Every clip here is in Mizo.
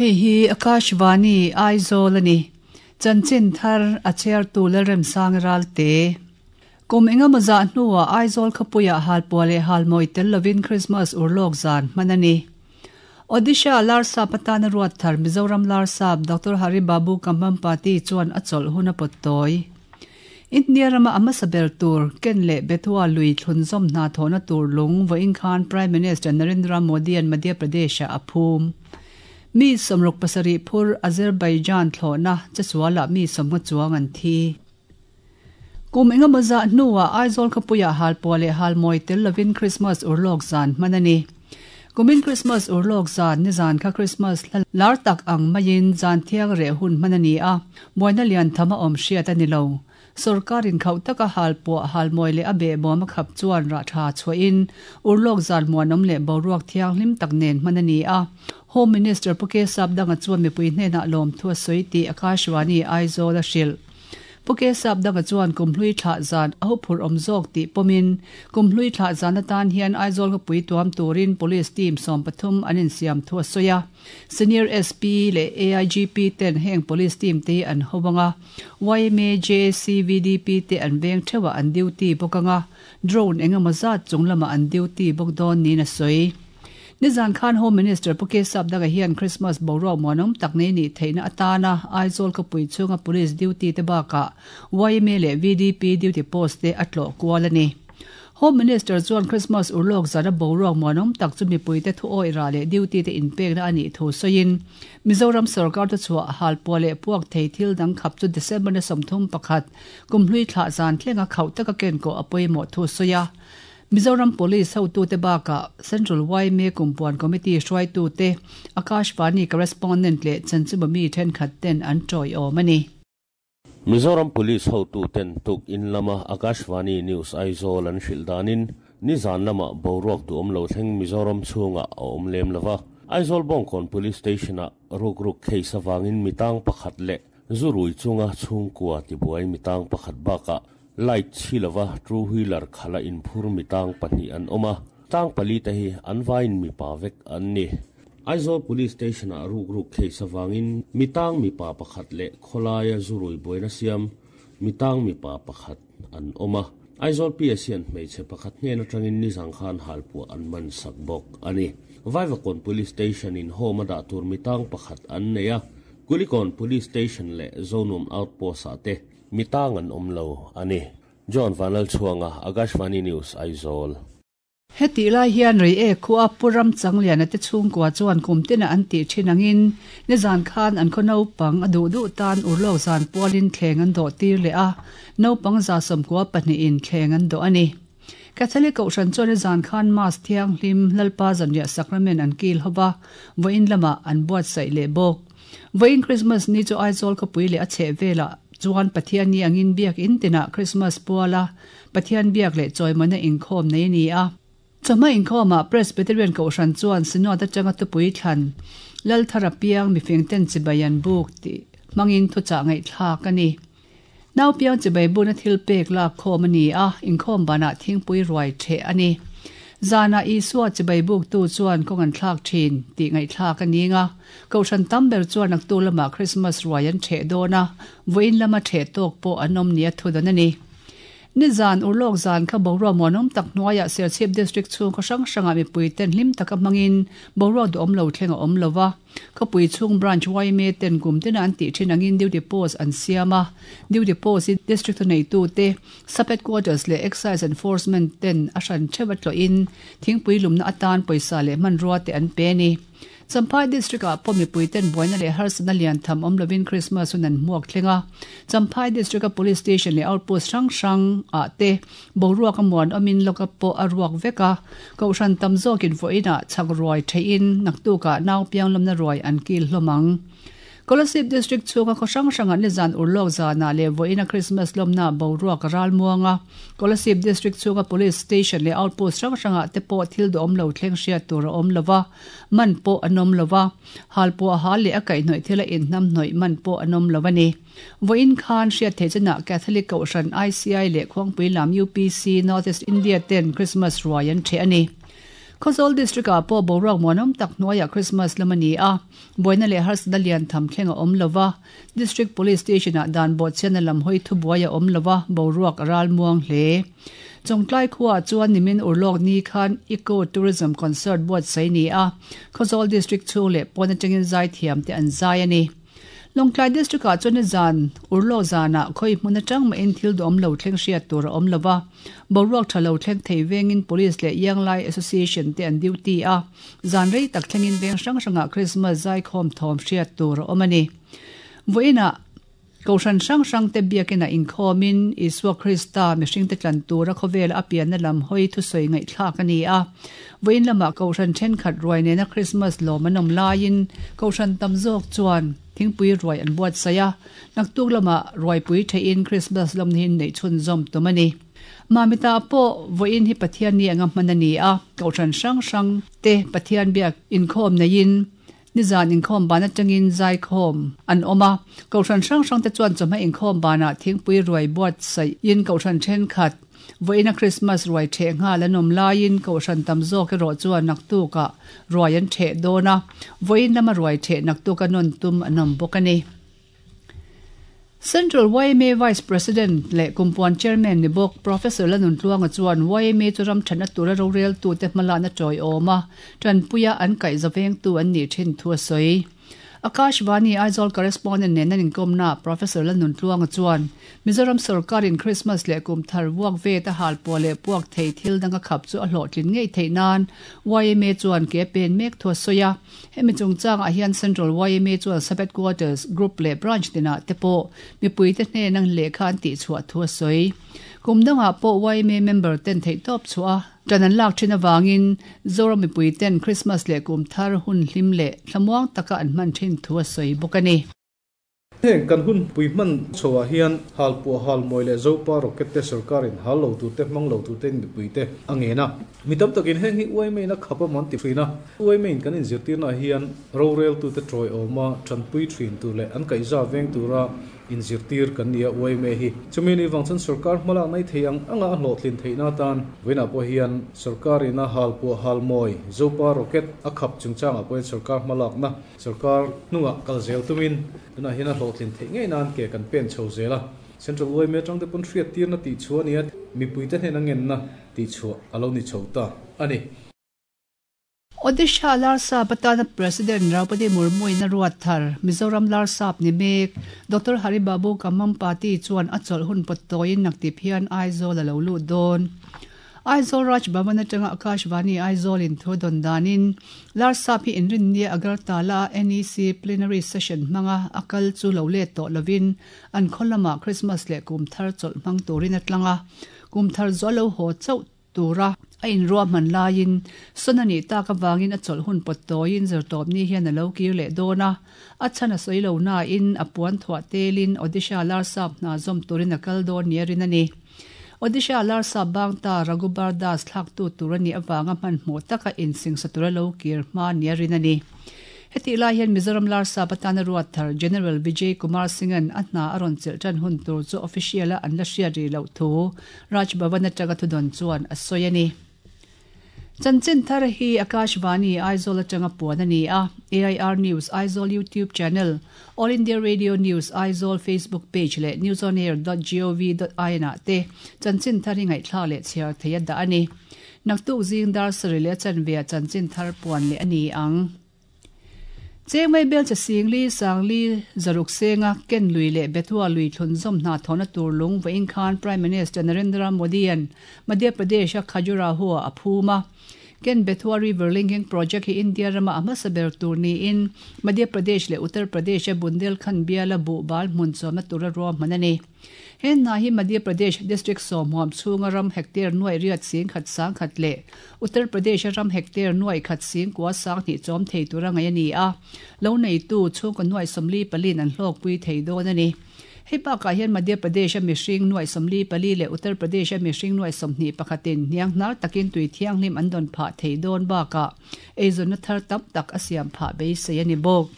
Hei hi Akashvani, Aizawl a ni. Chanchin thar a chhiartu Lalremsang Ralte. Kum engemaw zah hnuah Aizawl khawpuiah halpuah leh halmawi tel lovin Krismas urlawk zan hman a ni. Odisha Larsap atana ruat thar Mizoram Larsap Doctor Hari Babu Kambhampati chuan a chawlh hun a pawt tawi. India rama a hmasa ber tur Ken leh Betwa lui thlunzawm hna thawhna tur lung vawiin khan Prime Minister Narendra Modi-a'n Madhya Pradesh-ah a phum. Mi 67 phur Azerbaijan thlawhna chesualah mi 50 chuang an thi. Kum engemaw zah hnuah Aizawl khawpuiah halpuah leh halmawi tel lovin Krismas urlawk zan hman a ni. Kumin Krismas urlawk zan nizan kha Krismas hla lar tak ang maiin zan thiang reh hun hman a ni a, buaina lian tham a awm hriat a ni lo. Sorkarin khauh taka halpuah halmawi leh a behbawm a khap chuan rah tha chhuahin urlawk zan muanawm leh boruak thianghlim tak nen hman a ni a. Home Minister Pu Kesap Danga chuan mipui hnenah lawmthu a sawi tih Akashvani Aizawl a hrilh. Pu Kesap Danga chuan Kumhlui thlah zan a huphurh awm zawk tih pawmin Kumhlui thlah zan atan hian Aizawl khawpui tuam turin Police team 13 an insiam thu a sawi a. Senior SP leh AIGP ten heng Police team te hi an ho ang a, yma, JAC, VDP te an veng theuhah an duty bawk ang a, drone engemaw zat chung lamah an duty bawk dawn niin a sawi. Nizan khan Home Minister Pu Kesap Daga hian Christmas boruak muanawm tak nei nih theihna atana Aizawl khawpui chhunga Police duty te bakah yma leh VDP duty post te a tlawh kual a ni. Home Minister chuan Christmas urlawk zana boruak muanawm tak chu mipuite thu awih rah leh duty te inpekna a nih thu sawiin Mizoram sorkar te chhuah halpuah leh puak thei thil dang khap chu December ni 31 kumhlui thlah zan thlenga khauh taka kenkawh a pawimawh thu sawi a. Mizoram Police hotute bakah Central yma Kumpuan Committee hruaitute, Akashvani Correspondent leh chanchinbu mi thenkhat ten an tawiawm a ni. Mizoram Police hotuten tuk in lama Akashvani News Aizawl an hrilh danin nizan lamah boruak duhawm lo thleng Mizoram chhungah a awm lem lova. Aizawl Bawngkawn Police Station-ah rukruk case avangin mitang pakhat leh zu rui chunga chhungkua tibuai mitang pakhat bakah Light chhi lova two wheeler khala inphur mi tang pahnih an awm a, tang pali te hi an vaiin mipa vek an ni. Aizawl Police Station ah rukruk case avangin mi tang mipa pakhat leh khawlaia zu rui buaina siam mi tang mipa pakhat an awm a. Aizawl PS hian hmeichhe pakhat hnen atangin nizang khan halpuah an man sak bawk a ni. Vaivakawn Police Station in home a dah tur mi tang pakhat an nei a, Kulikawn Police Station leh Zonuam Outpost ah te Mi tang an awm lo a ni. John Vanlalchhuanga, Akashvani News, Aizawl. Hetih lai hian Reiek khua Pu Ramchangliana te chhungkua chuan kum tina an tih thin angin nizan khan an khaw naupang a duh duh tan urlawk zan pualin thleng an dawh tir leh a, naupang 94 in thleng an dawh a ni. Catholic Kohhran chuan nizan khan Mass thianghlim Lalpa Zanriah Sacrament an kil hova, vawiin lamah an buatsaih leh bawk. Vawiin Krismas ni chu Aizawl khawpui leh a chheh velah chuan Pathian ni angin biak in tinah Krismas puala Pathian biak leh chawimawina inkhawm nei a ni a. Chawhma inkhawmah Presbyterian Kohhran chuan Synod atanga tupui thlan Lalthara piang mifingten chibai an buk tih hmangin thuchah ngaihthlak a ni. Nau piang chibai buna thil pek lak khawm a ni a, inkhawm banah thingpui ruai theh a ni. Zanah Isua chibai buktu chuan kawng an thlak thin tih ngaihthlak a ning a. Kohhran tam ber chuan naktu lamah Krismas ruai an theh dawn a, vawiin lama theh tawk pawh an awm nia thudan a ni. Nizan urlawk zan kha boruak muanawm tak hnuaiah Serchhip District chhung khaw hrang hrangah mipui ten hlim taka hmangin boruak duhawm lo thleng a awm lo va. Khawpui chhung Branch yma ten kum tina an tih thin angin duty post an siam a, duty post hi District thuneitute, Sub Headquarters leh Excise Enforcement ten a hran theuh a tlawhin thingpui lumna atan pawisa leh hmanrua te an pe a ni. Champhai District ah pawh mipui ten buaina leh harsatna lian tham awm lovin Christmas hun an hmuak thleng a. Champhai District a Police Station leh Outpost hrang hrang ah te boruak a muan awmin lockup pawh a ruak vek a. Kohhran tam zawkin vawiinah chhak ruai theihin naktukah nau pianglawmna ruai an kil hlawm ang. Kolasib District chhunga khaw hrang hrangah nizan urlawk zanah leh vawiina Christmas lawmna boruak a ral muang a. Kolasib District chhunga Police Station leh Outpost hrang hrangah te pawh thil duhawm lo thleng hriat tur a awm lova, man pawh an awm lova, halpuah hal leh a kaihhnawih thila inhnamhnawih man pawh an awm lo a ni. Vawiin khan hriat theih chinah Catholic Kohhran ICI leh Khuangpui lam UPC North East India ten Christmas ruai an ṭheh a ni. Khawzawl District-ah pawh boruak muanawm tak hnuaiah Krismas lam a ni a, buaina leh harsatna lian tham thleng a awm lo va, District Police Station-ah dan bawhchhiatna lam hawi thubuai a awm lo va, boruak a ral muang hle. Chawngtlai khuaah chuan nimin urlawk ni khan Eco Tourism Concert buatsaih ni a, Khawzawl District chhung leh pawn atangin zaithiamte an zai a ni. Lawngtlai District-ah chuan nizan urlawk zanah khawi hmun atang mahin thil duhawm lo thleng hriat tur a awm lo va, boruak tha lo thleng thei vengin Police leh Yanglai Association te an duty a, zan rei tak thlengin veng hrang hrangah Krismas zaikhawm thawm hriat tur a awm a ni. Vawiinah Kohhran hrang hrangte biakinah inkhawmin Isua Krista mihringte tlan tura khawvela a pianna lam hawi thusawi ngaihthlak a ni a. Vawiin lamah Kohhran thenkhat ruai nena Krismas lawm an awm laiin Kohhran tam zawk chuan thingpui ruai an buatsaih a, naktuk lamah ruaipui theihin Krismas lawmna hi neih chhunzawm tum a ni. Mamita pawh vawiin hi Pathian ni anga hman a ni a, Kohhran hrang hrangte Pathian biak inkhawm neiin Nizan inkhawm ban atangin zaikhawm an awm a, Kohhran hrang hrangte chuan chawhma inkhawm banah thingpui ruai buatsaihin Kohhran thenkhat vawiina Krismas ruai theh nghal an awm laiin Kohhran tam zawk erawh chuan naktukah ruai an theh dawn a, vawiin lama ruai theh naktuka nawn tum an awm bawk a ni. Central yma Vice President leh Kumpuan Chairman ni bawk Professor Lanuntluanga chuan yma chu ram thatna tura roreltute hmalakna tawiawm a, tanpuia an kaihza vengtu an nih thin thu a sawi. Akashvani Aizawl Correspondent nen an inkawmnaah Professor Lanuntluanga chuan Mizoram sawrkarin Christmas leh kum thar vuak vet a hal puah leh puak thei thil dang a khap chu a hlawhtlin ngei theih nan yma chuan ke a pen mek thu a sawi a. Hemi chungchangah hian Central yma chuan Sub-Headquarters, Group leh Branch tinah te pawh mipuite hnena lehkha an tihchhuah thu a sawi. Kum dangah pawh yma member ten theihtawp chhuah a tan an lak thin avangin Zoram mipui ten Christmas leh kum thar hun hlim leh thlamuang taka an hman thin thu a sawi bawk a ni. Heng kan hun pui hman chhoah hian halpuah halmawi leh Zopa rocket te sorkarin hal lo turte hmang lo turtein mipuite a ngen a. Mi tam takin heng hi uaimaiin a khap a man ti thin a. Uaimaiin kan inzirtirnaah hian roreltute tawiawma tanpui thin tur leh an kaihza veng tura inzirtir kan ni a uaime hi. Chumi ni vang chuan sorkar hmalak nei thei ang anga a hlawhtlin theihna atan vawiinah pawh hian sorkarina halpuah halmawi Zopa rocket a khap chungchangah pawhin sorkar hmalakna Sorkar hnungah kal zel tumin tunah hian a hlawhtlin theih ngei nan ke kan pen chho zel a. Central yma atang te pawn hriattirna tihchhuah a ni a, mipuite hnena ngenna tihchhuah a lo ni chho ta a ni. Odisha Larsap atana President Draupadi Murmu-in a ruat thar, Mizoram Larsap ni mek, Doctor Haribabu Kamampati chuan a chawlh hun pawt tawiin naktip hian Aizawl a lo lut dawn. Aizawl Raj Bhavan atanga Akashvani Aizawl in thu dawn danin Larsap hi inrinnia Agartala a NEC Plenary Session hmanga a kal chu lo let tawh lovin an khaw lamah Christmas leh kum thar chawlh hmang turin a tlang a, kum thar zual lo haw chauh tura a inruahman laiin sawn a nih tak avangin a chawlh hun pawt tawiin zirtawpni hian a lo kir leh dawn a, a chhan a sawi lo nain a puan thuah telin Odisha Larsap hna zawm turin a kal dawn nia rin a ni. Odisha Larsa Bangta Raghubar Das thlaktu tur a nih avanga hmanhmawh taka insingsa tura lo kir hma nia rin a ni. Hetih lai hian Mizoram Larsa patana ruat thar General Vijay Kumar Singh-a'n a hna a rawn chelh tan hun tur chu official-a an la hriat rih loh thu Raj Bhavan atanga thudawn chuan a sawi a ni. Chanchin thar hi Akashvani Aizawl atanga puan a ni a, AIR News Aizawl YouTube channel, All India Radio News Aizawl Facebook page leh newsonair dot gov dot in ah te chanchin thar hi ngaihthlak leh chhiar thei a dah a ni. Naktuk zing dar sarih leh a chanve ah chanchin thar puan leh a ni ang. Chengmei Belcha Singli, Sangli, Zaruk Senga, Ken Lui leh Bethua lui thlunzawm hna thawhna tur lung vawiin khan Prime Minister Narendra Modi-a'n Madhya Pradesh-a Khajuraho-ah a phum a. Ken Bethua River Linking Project hi India rama a hmasa ber tur niin Madhya Pradesh leh Uttar Pradesh-a Bundelkhand biala buhbal hmun chawmna tura ruahman a ni. He hna hi Madhya Pradesh district sawmhuam chhunga ram hectare nuaih riat sing khat sang khat leh Uttar Pradesh-a ram hectare nuaih khat sing kua sang hnih chawm thei tura ngaih a ni a, lo neitu chhungkaw nuaih 44 in an hlawkpui thei dawn a ni. Hei bakah hian Madhya Pradesh-a mihring nuaih 44 leh Uttar Pradesh-a mihring nuaih 21 in hniang hnar takin tui thianghlim an dawn phah thei dawn bakah eizawnna thar tam tak a siam phah beisei a ni bawk.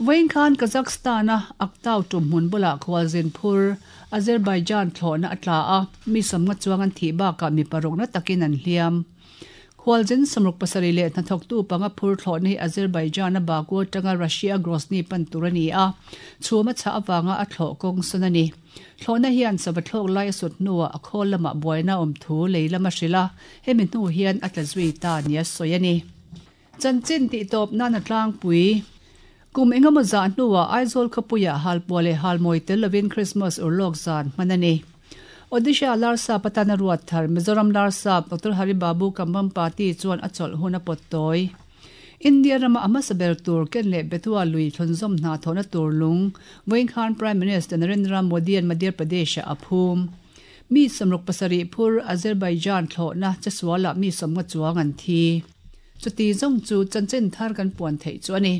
Vawiin khan Kazakhstan-a Aktau tumhmun bulah khualzin phur Azerbaijan thlawhna a tla a, mi sawmnga chuang an thih bakah mi parukna takin an hliam. Khualzin 67 leh hnathawktu panga phur thlawhna hi Azerbaijan-a Baku atanga Russia Grozny pan tur a ni a, chhum a chhah avanga a thlawh kawng sawn a ni. Thlawhna hian sava thlawk lai a sut hnuah a khawl lamah buaina a awm thu lei lam a hrilh a, hemi hnu hian a tla zui ta nia sawi a ni. Chanchin tihtawp nan a tlangpui. Kum engemaw zah hnuah Aizawl khawpuiah halpuah leh halmawi tel lovin Krismas urlawk zan hman a ni. Odisha Larsap atana ruat thar Mizoram Larsap Doctor Hari Babu Kambhampati chuan a chawlh hun a pawt tawi. India rama a hmasa ber tur ken leh Betwa lui thlunzawm hna thawhna tur lung vawiin khan Prime Minister Narendra Modi-a'n Madhya Pradesh-ah a phum. Mi 67 phur Azerbaijan thlawhna chesualah mi 50 chuang an thi. Chuti zawng chu chanchin thar kan puan theih chu a ni.